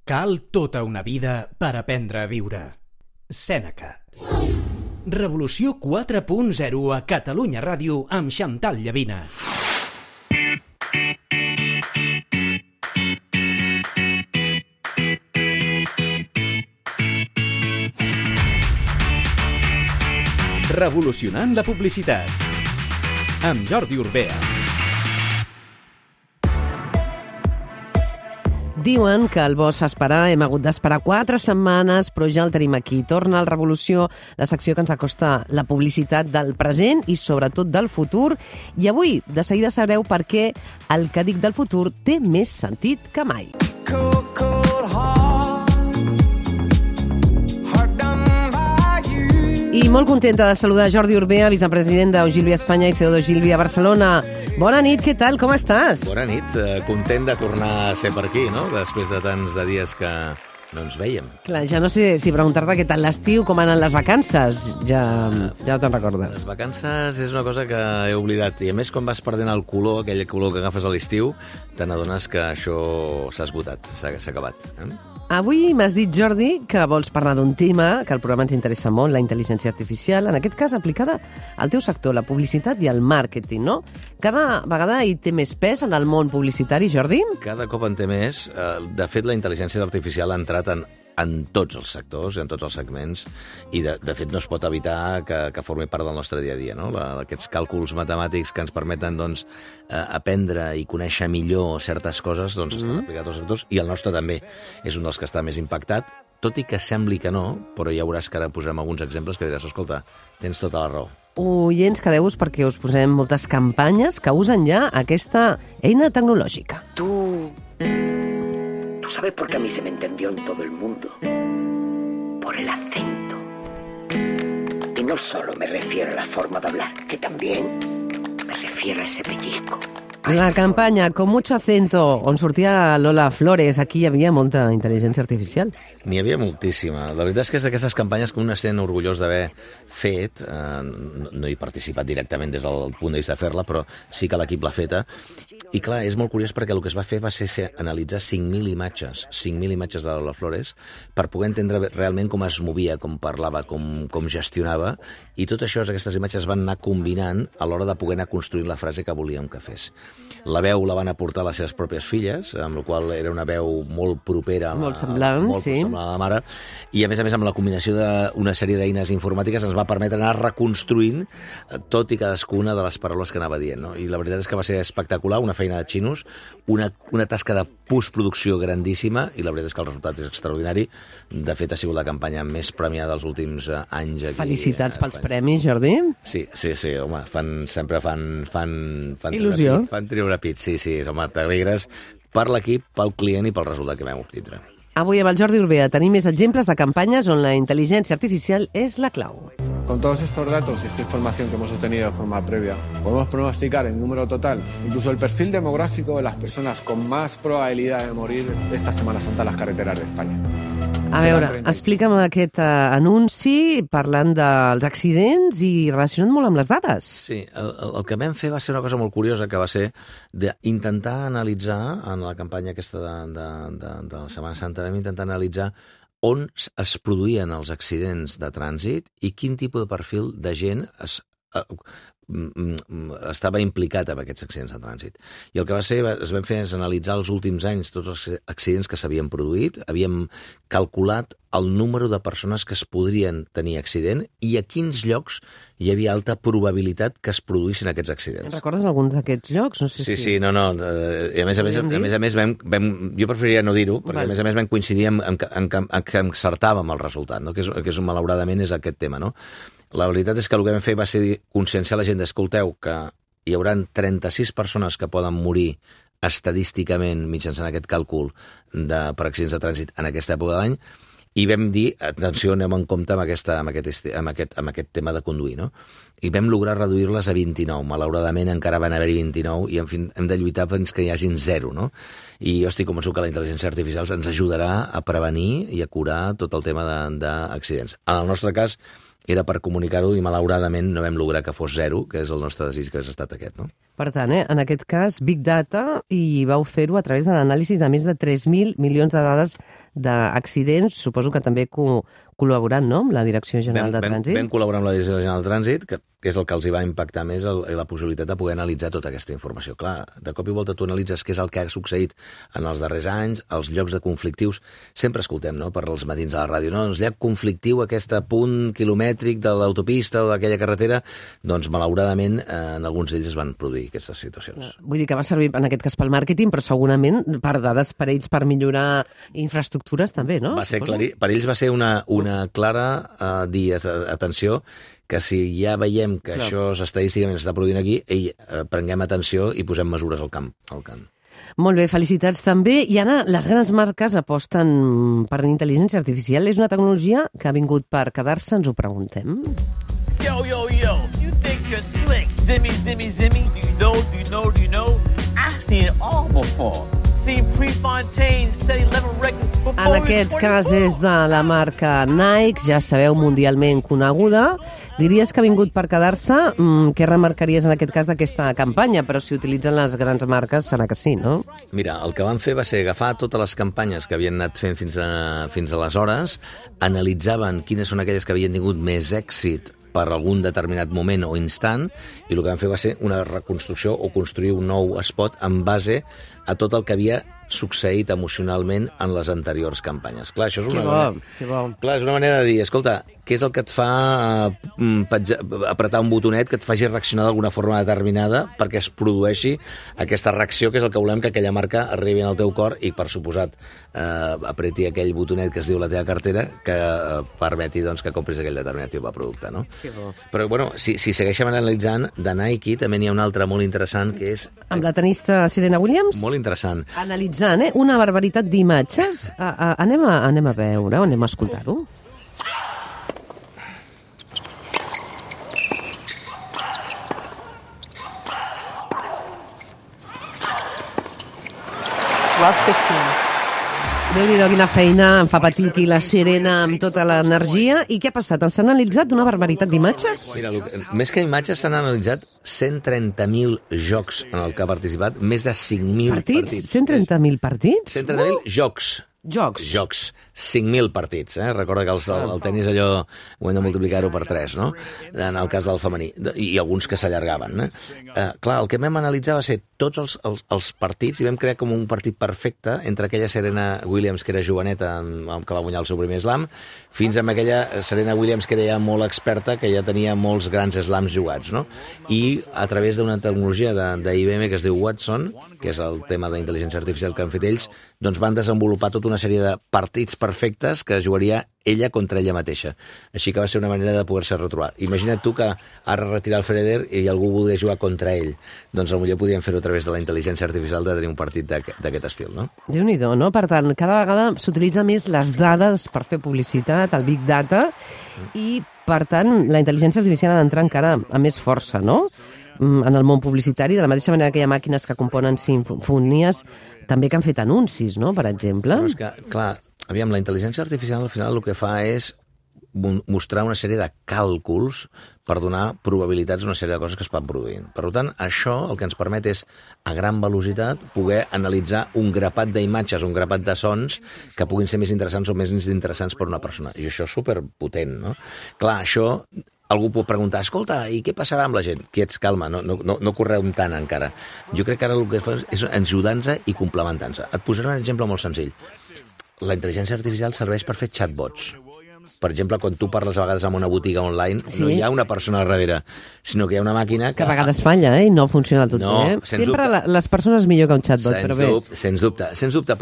Cal tota una vida per aprendre a viure. Sèneca. Revolució 4.0 a Catalunya Ràdio amb Xantal Llavina. Revolucionant la publicitat. Amb Jordi Urbea. Diuen que el bosc fa esperar, hem hagut d'esperar 4 setmanes, però ja el tenim aquí. Torna al Revolució, la secció que ens acosta la publicitat del present i sobretot del futur. I avui, de seguida sabreu per què el que dic del futur té més sentit que mai. I molt contenta de saludar Jordi Urbea, vicepresident d'Ogilvy Espanya i CEO d'Ogilvy a Barcelona. Bona nit, què tal? Com estàs? Bona nit, content de tornar a ser per aquí, no? Després de tants de dies que no ens veiem. Clar, ja no sé si preguntar-te què tal l'estiu, com han anat les vacances. Ja no te'n recordes. Les vacances és una cosa que he oblidat. I a més, quan vas perdent el color, aquell color que agafes a l'estiu, te n'adones que això s'ha esgotat, s'ha acabat. Avui m'has dit, Jordi, que vols parlar d'un tema que al programa ens interessa molt, la intel·ligència artificial, en aquest cas aplicada al teu sector, la publicitat i el màrqueting, no? Cada vegada hi té més pes en el món publicitari, Jordi? Cada cop en té més. De fet, la intel·ligència artificial ha entrat en tots els sectors, en tots els segments, i de fet no es pot evitar que formi part del nostre dia a dia, no? Aquests càlculs matemàtics que ens permeten doncs, aprendre i conèixer millor certes coses doncs, estan aplicats als sectors, i el nostre també és un dels que està més impactat, tot i que sembli que no, però ja veuràs que ara posarem alguns exemples que diràs, escolta, tens tota la raó. Oients, quedeu-vos perquè us posem moltes campanyes que usen ja aquesta eina tecnològica. ¿Tú sabes por qué a mí se me entendió en todo el mundo? Por el acento. Y no solo me refiero a la forma de hablar, que también me refiero a ese pellizco. La campanya Con mucho acento, on sortia Lola Flores, aquí hi havia molta intel·ligència artificial. N'hi havia moltíssima. La veritat és que és d'aquestes campanyes que un es sent orgullós d'haver fet. No he participat directament des del punt de vista de fer-la, però sí que l'equip l'ha feta. I clar, és molt curiós perquè el que es va fer va ser analitzar 5.000 imatges de Lola Flores per poder entendre realment com es movia, com parlava, com gestionava, i tot això, aquestes imatges van anar combinant a l'hora de poder anar construint la frase que volíem que fes. La veu la van aportar les seves pròpies filles, amb la qual era una veu molt propera, molt semblant, sí, semblant a la mare, i a més amb la combinació d'una sèrie d'eines informàtiques ens va permetre anar reconstruint tot i cadascuna de les paraules que anava dient, no? I la veritat és que va ser espectacular, una feina de xinos, una tasca de postproducció grandíssima, i la veritat és que el resultat és extraordinari. De fet, ha sigut la campanya més premiada dels últims anys aquí. Felicitats pels premis, Jordi. Sí, home, sempre fan il·lusió. Fan treure pit, sí, home, t'alegres per l'equip, pel client i pel resultat que vam obtindre. Avui amb el Jordi Urbea tenim més exemples de campanyes on la intel·ligència artificial és la clau. Con todos estos datos y esta información que hemos obtenido de forma previa, podemos pronosticar el número total, incluso el perfil demográfico de las personas con más probabilidad de morir esta Semana Santa en las carreteras de España. A veure, explica'm aquest anunci parlant dels accidents i relacionat molt amb les dades. Sí, el que vam fer va ser una cosa molt curiosa, que va ser d'intentar analitzar, en la campanya aquesta de la Setmana Santa, vam intentar analitzar on es produïen els accidents de trànsit i quin tipus de perfil de gent estava implicat en aquests accidents de trànsit. I el que es vam fer és analitzar els últims anys tots els accidents que s'havien produït, havíem calculat el número de persones que es podrien tenir accident i a quins llocs hi havia alta probabilitat que es produïssin aquests accidents. Recordes alguns d'aquests llocs? No sé si... Sí, no. I a més, jo preferiria no dir-ho, perquè a més vam coincidir en que encertàvem el resultat, no? que és malauradament és aquest tema, no? La veritat és que el que vam fer va ser conscienciar la gent d'escolteu que hi haurà 36 persones que poden morir estadísticament mitjançant aquest càlcul per accidents de trànsit en aquesta època de l'any, i vam dir, atenció, anem en compte amb aquest tema de conduir, no? I vam lograr reduir-les a 29. Malauradament encara van haver-hi 29 i en fi, hem de lluitar fins que hi hagin 0, no? I jo estic convençut que la intel·ligència artificial ens ajudarà a prevenir i a curar tot el tema d'accidents. En el nostre cas, era per comunicar-ho i malauradament no vam lograr que fos 0, que és el nostre desig, que ha estat aquest, no? Per tant, en aquest cas, Big Data, i vau fer-ho a través de l'anàlisi de més de 3.000 milions de dades d'accidents, suposo que també col·laborant, no?, amb la Direcció General de Trànsit. Vam col·laborar amb la Direcció General de Trànsit, que és el que els hi va impactar més la possibilitat de poder analitzar tota aquesta informació. Clar, de cop i volta tu analitzes què és el que ha succeït en els darrers anys, els llocs de conflictius. Sempre escoltem, no?, per als matins a la ràdio, no?, doncs lloc conflictiu, aquest punt quilomètric de l'autopista o d'aquella carretera, doncs malauradament en alguns d'ells es van produir aquestes situacions. Vull dir que va servir en aquest cas pel màrqueting, però segurament per dades per ells per millorar infraestructures també, no? Va ser per ells va ser una clara dir, atenció, que si ja veiem que això estadísticament s'està produint aquí, prenguem atenció i posem mesures al camp. Molt bé, felicitats també. I Anna, les grans marques aposten per intel·ligència artificial. És una tecnologia que ha vingut per quedar-se, ens ho preguntem. Yo, you think you're slick. Zimmy, zimmy, zimmy, do you know? I've seen it all before. En aquest cas és de la marca Nike, ja sabeu, mundialment coneguda. Diries que ha vingut per quedar-se? Què remarcaries en aquest cas d'aquesta campanya? Però si utilitzen les grans marques serà que sí, no? Mira, el que van fer va ser agafar totes les campanyes que havien anat fent fins aleshores, analitzaven quines són aquelles que havien tingut més èxit per algun determinat moment o instant, i el que van fer va ser una reconstrucció o construir un nou spot en base a tot el que havia succeït emocionalment en les anteriors campanyes. Clar, això és és una manera de dir, escolta, què és el que et fa apretar un botonet que et faci reaccionar d'alguna forma determinada perquè es produeixi aquesta reacció, que és el que volem que aquella marca arribi al teu cor i, per suposat, apreti aquell botonet que es diu la teva cartera que permeti que compris aquell determinat tipus de producte, no? Però, bueno, si segueixem analitzant, de Nike també n'hi ha un altre molt interessant, que és... Amb la tenista Serena Williams? Molt interessant. Analitzant, una barbaritat d'imatges. Anem a veure, anem a escoltar-ho. Love 15. Déu-n'hi-do, quina feina, em fa patir aquí la Serena amb tota l'energia. I què ha passat? S'han analitzat una barbaritat d'imatges? Mira, més que imatges s'han analitzat 130.000 jocs en el que ha participat, més de 5.000 partits. 130.000 partits? 130.000 jocs. Jocs. 5.000 partits. Recorda que el tenis allò ho hem de multiplicar-ho per 3, no? En el cas del femení. I alguns que s'allargaven. Clar, el que vam analitzar va ser tots els partits i vam crear com un partit perfecte entre aquella Serena Williams, que era joveneta, que va guanyar el seu primer slam, fins amb aquella Serena Williams, que era ja molt experta, que ja tenia molts grans slams jugats, no? I a través d'una tecnologia d'IBM que es diu Watson, que és el tema d'intel·ligència artificial que han fet ells, doncs van desenvolupar tota una sèrie de partits perfectes que jugaria ella contra ella mateixa. Així que va ser una manera de poder-se retrobar. Imagina't tu que ara retirar el Federer i algú volia jugar contra ell. Doncs potser podíem fer-ho a través de la intel·ligència artificial de tenir un partit d'aquest estil, no? Déu-n'hi-do, no? Per tant, cada vegada s'utilitza més les dades per fer publicitat, el Big Data, i, per tant, la intel·ligència artificial ha d'entrar encara amb més força, no?, en el món publicitari, de la mateixa manera que hi ha màquines que componen simfonies, també que han fet anuncis, no?, per exemple. Però és que, clar, aviam, la intel·ligència artificial al final el que fa és mostrar una sèrie de càlculs per donar probabilitats a una sèrie de coses que es van produint. Per tant, això el que ens permet és, a gran velocitat, poder analitzar un grapat d'imatges, un grapat de sons que puguin ser més interessants o més interessants per una persona. I això és superpotent, no? Clar, això... Algú pot preguntar, escolta, i què passarà amb la gent? Quiets, calma, no correu tant encara. Jo crec que ara el que fa és ajudar-nos i complementar-nos. Et posaré un exemple molt senzill. La intel·ligència artificial serveix per fer chatbots. Per exemple, quan tu parles a vegades amb una botiga online, no hi ha una persona al darrere, sinó que hi ha una màquina que... Que a vegades falla, i no funciona tot bé. Sempre les persones millor que un chatbot, però bé. Sens dubte,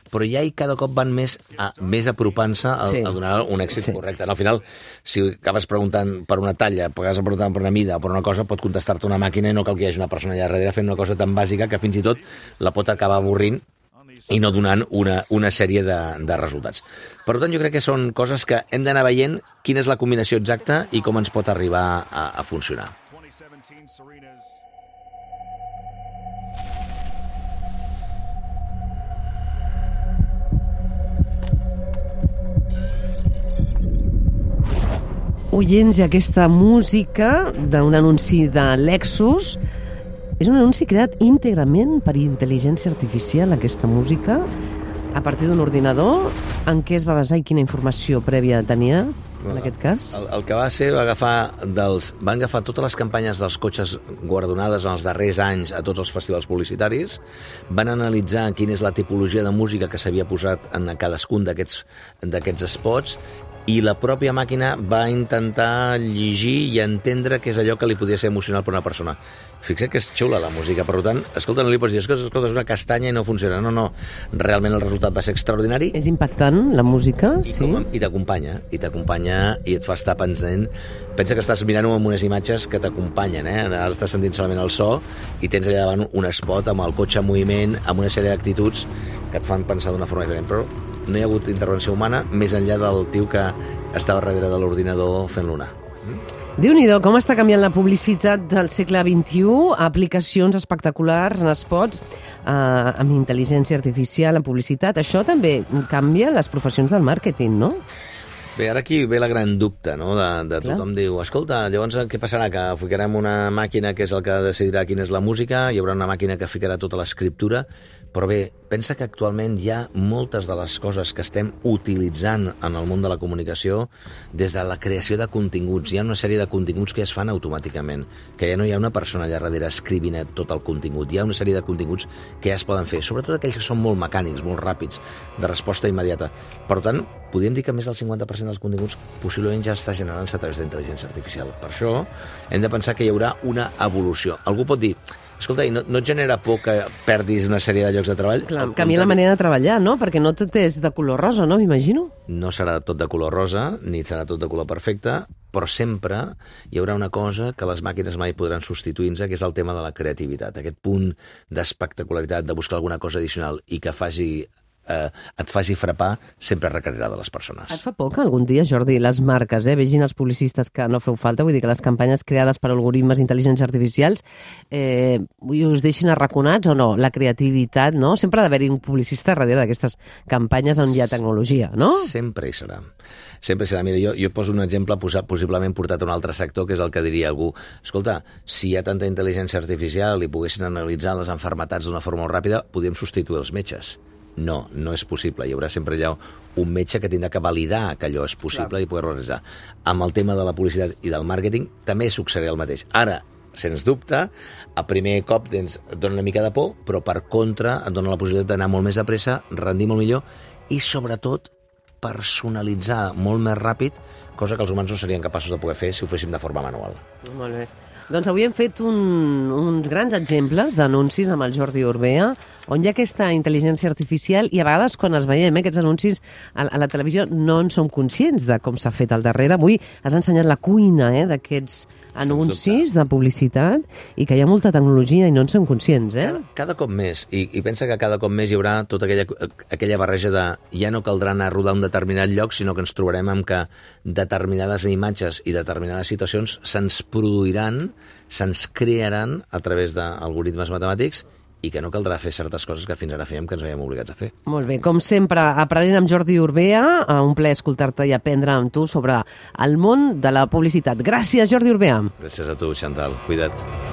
però ja cada cop van més apropant-se a donar un èxit correcte. Al final, si acabes preguntant per una talla, acabes preguntant per una mida o per una cosa, pot contestar-te una màquina i no cal que hi hagi una persona allà darrere fent una cosa tan bàsica que fins i tot la pot acabar avorrint i no donant una sèrie de resultats. Per tant, jo crec que són coses que hem d'anar veient quina és la combinació exacta i com ens pot arribar a funcionar. Oients, i aquesta música d'un anunci de Lexus És un anunci creat íntegrament per intel·ligència artificial, aquesta música, a partir d'un ordinador. En què es va basar i quina informació prèvia tenia, en aquest cas? El que va ser, van agafar totes les campanyes dels cotxes guardonades en els darrers anys a tots els festivals publicitaris, van analitzar quina és la tipologia de música que s'havia posat en cadascun d'aquests spots, i la pròpia màquina va intentar llegir i entendre què és allò que li podia ser emocional per una persona. Fixa't que és xula la música, per tant, escolta, no li pots dir, escolta, és una castanya i no funciona. No, realment el resultat va ser extraordinari. És impactant, la música, sí. I t'acompanya i et fa estar pensant. Pensa que estàs mirant-ho amb unes imatges que t'acompanyen, Ara estàs sentint solament el so i tens allà davant un spot amb el cotxe en moviment, amb una sèrie d'actituds que et fan pensar d'una forma diferent. Però no hi ha hagut intervenció humana més enllà del tio que estava darrere de l'ordinador fent-lo anar. Déu-n'hi-do, com està canviant la publicitat del segle XXI, aplicacions espectaculars en spots, amb intel·ligència artificial, en publicitat. Això també canvia les professions del màrqueting, no? Bé, ara aquí ve la gran dubte, no?, de tothom diu, escolta, llavors què passarà? Que ficarem una màquina que és el que decidirà quina és la música, hi haurà una màquina que ficarà tota l'escriptura, però bé, pensa que actualment hi ha moltes de les coses que estem utilitzant en el món de la comunicació des de la creació de continguts. Hi ha una sèrie de continguts que es fan automàticament, que ja no hi ha una persona allà darrere escrivint tot el contingut. Hi ha una sèrie de continguts que ja es poden fer, sobretot aquells que són molt mecànics, molt ràpids, de resposta immediata. Per tant, podríem dir que més del 50% dels continguts possiblement ja està generant-se a través d'intel·ligència artificial. Per això hem de pensar que hi haurà una evolució. Algú pot dir, escolta, i no et genera por que perdis una sèrie de llocs de treball? Clar, canvia la manera de treballar, no? Perquè no tot és de color rosa, no? M'imagino. No serà tot de color rosa, ni serà tot de color perfecte, però sempre hi haurà una cosa que les màquines mai podran substituir-nos, que és el tema de la creativitat. Aquest punt d'espectacularitat, de buscar alguna cosa addicional i que et faci frapar, sempre requerirà de les persones. Et fa por que algun dia, Jordi, les marques, vegin els publicistes que no feu falta, vull dir que les campanyes creades per algoritmes d'intel·ligència artificials us deixin arraconats o no? La creativitat, no? Sempre ha d'haver-hi un publicista darrere d'aquestes campanyes on hi ha tecnologia, no? Sempre hi serà. Sempre hi serà. Mira, jo poso un exemple possiblement portat a un altre sector, que és el que diria algú, escolta, si hi ha tanta intel·ligència artificial i poguessin analitzar les malalties d'una forma molt ràpida, podríem substituir els metges. No, no és possible. Hi haurà sempre allà un metge que tindrà que validar que allò és possible i poder-ho realitzar. Amb el tema de la publicitat i del màrqueting també succeirà el mateix. Ara, sens dubte, a primer cop et dona una mica de por, però per contra et dona la possibilitat d'anar molt més de pressa, rendir molt millor i, sobretot, personalitzar molt més ràpid, cosa que els humans no serien capaços de poder fer si ho féssim de forma manual. Molt bé. Doncs avui hem fet uns grans exemples d'anuncis amb el Jordi Urbea, on hi ha aquesta intel·ligència artificial i a vegades quan els veiem, aquests anuncis a la televisió, no en som conscients de com s'ha fet al darrere. Avui has ensenyat la cuina d'aquests anuncis de publicitat i que hi ha molta tecnologia i no en som conscients. Cada cop més, i pensa que cada cop més hi haurà tota aquella barreja de ja no caldrà anar a rodar un determinat lloc, sinó que ens trobarem amb que determinades imatges i determinades situacions se'ns produiran, se'ns crearan a través d'algoritmes matemàtics i que no caldrà fer certes coses que fins ara fèiem que ens veiem obligats a fer. Molt bé, com sempre, aprenent amb Jordi Urbea, un plaer escoltar-te i aprendre amb tu sobre el món de la publicitat. Gràcies, Jordi Urbea. Gràcies a tu, Chantal. Cuida't.